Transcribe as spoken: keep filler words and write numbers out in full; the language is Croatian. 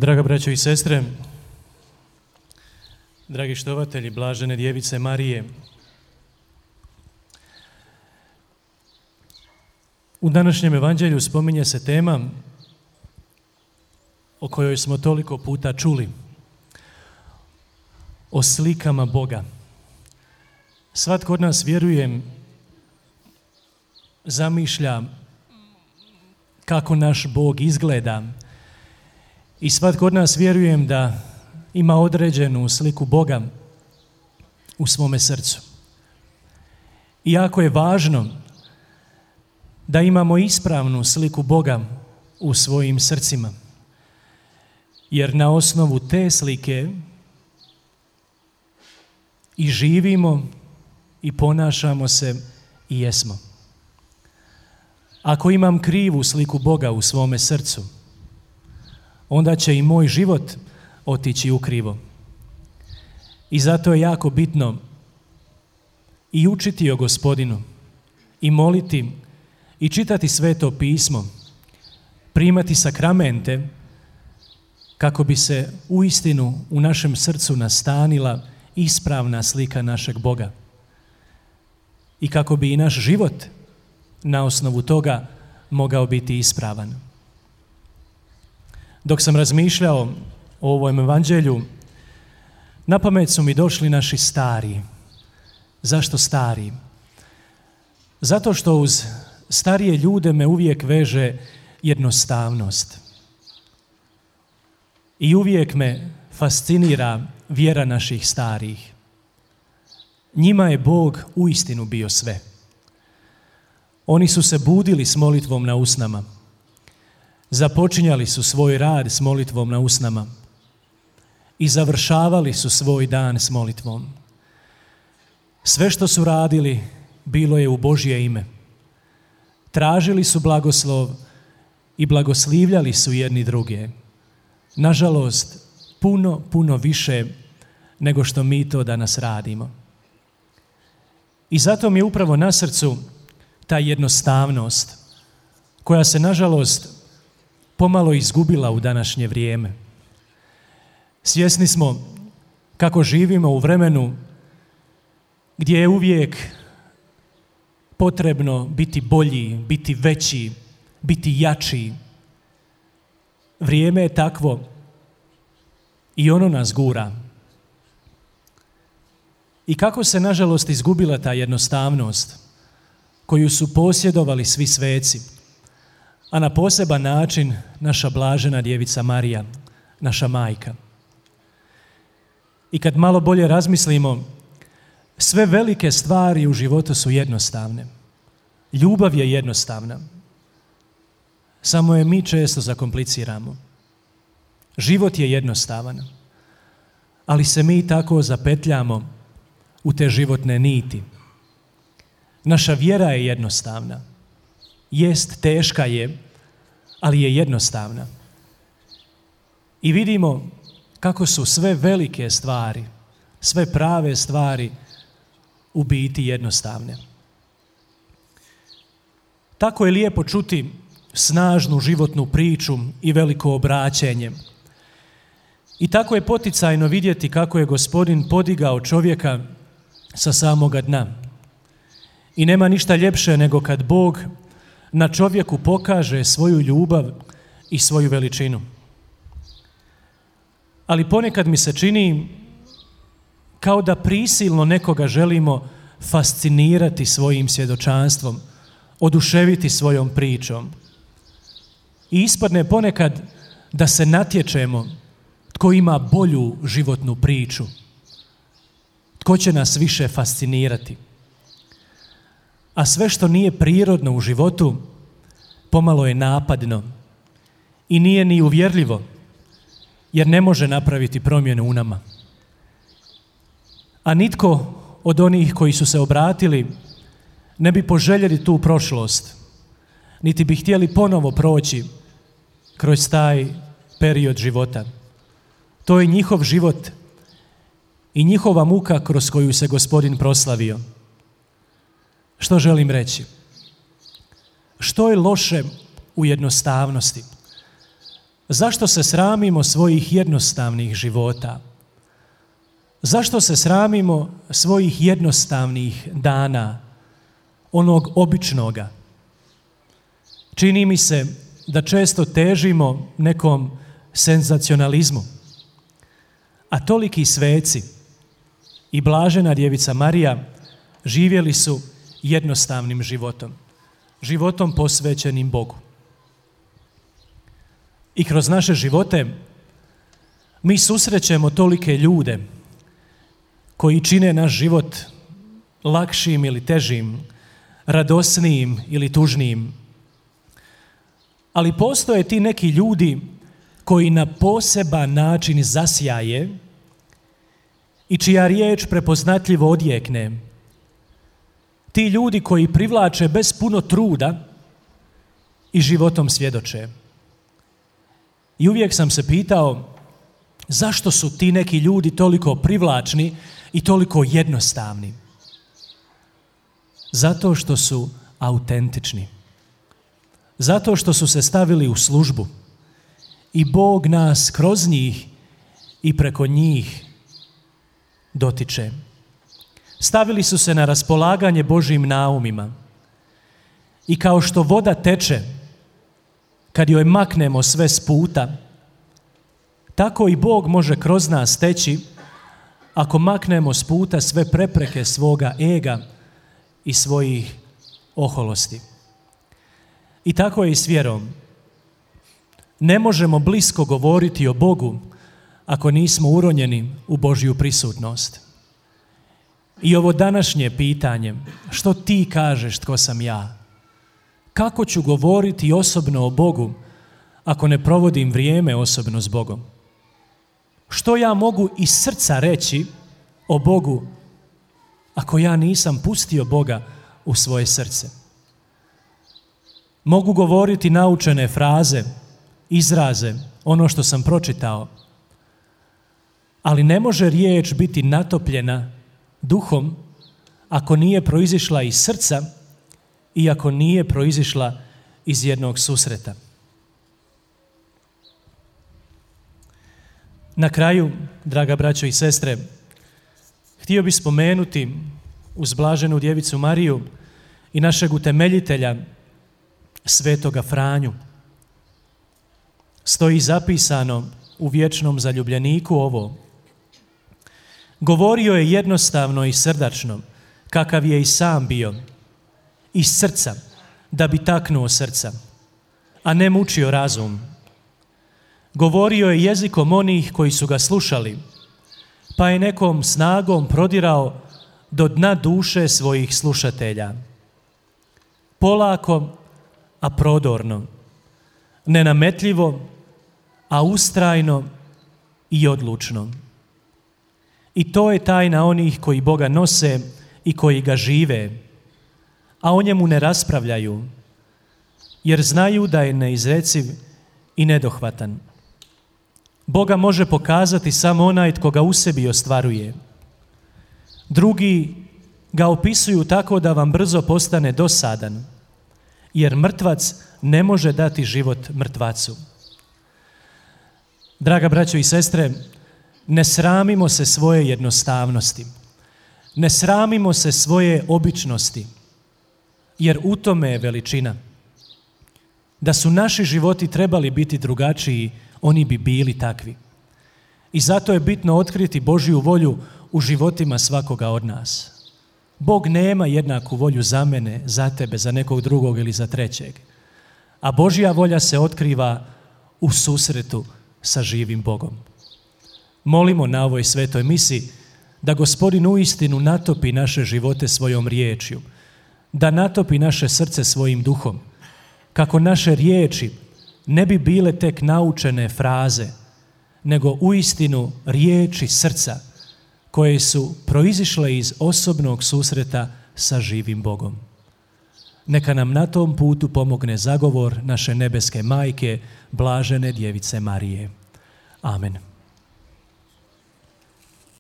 Draga braćo i sestre, dragi štovatelji blažene djevice Marije, u današnjem evanđelju spominje se tema o kojoj smo toliko puta čuli, o slikama Boga. Svatko od nas, vjerujem, zamišlja kako naš Bog izgleda i svatko od nas, vjerujem, da ima određenu sliku Boga u svome srcu. I jako je važno da imamo ispravnu sliku Boga u svojim srcima, jer na osnovu te slike i živimo i ponašamo se i jesmo. Ako imam krivu sliku Boga u svome srcu, onda će i moj život otići ukrivo. I zato je jako bitno i učiti o Gospodinu, i moliti, i čitati Sveto pismo, primati sakramente, kako bi se uistinu u našem srcu nastanila ispravna slika našeg Boga. I kako bi i naš život na osnovu toga mogao biti ispravan. Dok sam razmišljao o ovom evanđelju, na pamet su mi došli naši stari. Zašto stari? Zato što uz starije ljude me uvijek veže jednostavnost. I uvijek me fascinira vjera naših starih. Njima je Bog uistinu bio sve. Oni su se budili s molitvom na usnama. Započinjali su svoj rad s molitvom na usnama i završavali su svoj dan s molitvom. Sve što su radili bilo je u Božje ime. Tražili su blagoslov i blagoslivljali su jedni druge. Nažalost, puno, puno više nego što mi to danas radimo. I zato mi je upravo na srcu ta jednostavnost koja se, nažalost, pomalo izgubila u današnje vrijeme. Svjesni smo kako živimo u vremenu gdje je uvijek potrebno biti bolji, biti veći, biti jači. Vrijeme je takvo i ono nas gura. I kako se, nažalost, izgubila ta jednostavnost koju su posjedovali svi sveci, a na poseban način naša blažena djevica Marija, naša majka. I kad malo bolje razmislimo, sve velike stvari u životu su jednostavne. Ljubav je jednostavna. Samo je mi često zakompliciramo. Život je jednostavan, ali se mi tako zapetljamo u te životne niti. Naša vjera je jednostavna. Jest, teška je, ali je jednostavna. I vidimo kako su sve velike stvari, sve prave stvari u biti jednostavne. Tako je lijepo čuti snažnu životnu priču i veliko obraćenje. I tako je poticajno vidjeti kako je Gospodin podigao čovjeka sa samoga dna. I nema ništa ljepše nego kad Bog na čovjeku pokaže svoju ljubav i svoju veličinu. Ali ponekad mi se čini kao da prisilno nekoga želimo fascinirati svojim svjedočanstvom, oduševiti svojom pričom. I ispadne ponekad da se natječemo tko ima bolju životnu priču, tko će nas više fascinirati. A sve što nije prirodno u životu pomalo je napadno i nije ni uvjerljivo, jer ne može napraviti promjenu u nama. A nitko od onih koji su se obratili ne bi poželjeli tu prošlost, niti bi htjeli ponovo proći kroz taj period života. To je njihov život i njihova muka kroz koju se Gospodin proslavio. Što želim reći? Što je loše u jednostavnosti? Zašto se sramimo svojih jednostavnih života? Zašto se sramimo svojih jednostavnih dana, onog običnoga? Čini mi se da često težimo nekom senzacionalizmu, a toliki sveci i blažena djevica Marija živjeli su jednostavnim životom, životom posvećenim Bogu. I kroz naše živote mi susrećemo tolike ljude koji čine naš život lakšim ili težim, radosnijim ili tužnijim. Ali postoje ti neki ljudi koji na poseban način zasjaje i čija riječ prepoznatljivo odjekne. Ti ljudi koji privlače bez puno truda i životom svjedoče. I uvijek sam se pitao zašto su ti neki ljudi toliko privlačni i toliko jednostavni. Zato što su autentični. Zato što su se stavili u službu i Bog nas kroz njih i preko njih dotiče. Stavili su se na raspolaganje Božjim naumima i kao što voda teče kad joj maknemo sve s puta, tako i Bog može kroz nas teći ako maknemo s puta sve prepreke svoga ega i svojih oholosti. I tako je i s vjerom. Ne možemo blisko govoriti o Bogu ako nismo uronjeni u Božju prisutnost. I ovo današnje pitanje, što ti kažeš tko sam ja? Kako ću govoriti osobno o Bogu ako ne provodim vrijeme osobno s Bogom? Što ja mogu iz srca reći o Bogu ako ja nisam pustio Boga u svoje srce? Mogu govoriti naučene fraze, izraze, ono što sam pročitao, ali ne može riječ biti natopljena duhom ako nije proizišla iz srca i ako nije proizišla iz jednog susreta. Na kraju, draga braćo i sestre, htio bih spomenuti uz blaženu djevicu Mariju i našeg utemeljitelja Svetoga Franju. Stoji zapisano u vječnom zaljubljeniku ovo: govorio je jednostavno i srdačno, kakav je i sam bio, iz srca, da bi taknuo srca, a ne mučio razum. Govorio je jezikom onih koji su ga slušali, pa je nekom snagom prodirao do dna duše svojih slušatelja. Polako, a prodorno, nenametljivo, a ustrajno i odlučno. I to je tajna onih koji Boga nose i koji ga žive, a o njemu ne raspravljaju, jer znaju da je neizreciv i nedohvatan. Boga može pokazati samo onaj tko ga u sebi ostvaruje. Drugi ga opisuju tako da vam brzo postane dosadan, jer mrtvac ne može dati život mrtvacu. Draga braćo i sestre, ne sramimo se svoje jednostavnosti, ne sramimo se svoje običnosti, jer u tome je veličina. Da su naši životi trebali biti drugačiji, oni bi bili takvi. I zato je bitno otkriti Božju volju u životima svakoga od nas. Bog nema jednaku volju za mene, za tebe, za nekog drugog ili za trećeg. A Božja volja se otkriva u susretu sa živim Bogom. Molimo na ovoj svetoj misi da Gospodin uistinu natopi naše živote svojom riječju, da natopi naše srce svojim duhom, kako naše riječi ne bi bile tek naučene fraze, nego uistinu riječi srca koje su proizišle iz osobnog susreta sa živim Bogom. Neka nam na tom putu pomogne zagovor naše nebeske majke, blažene djevice Marije. Amen.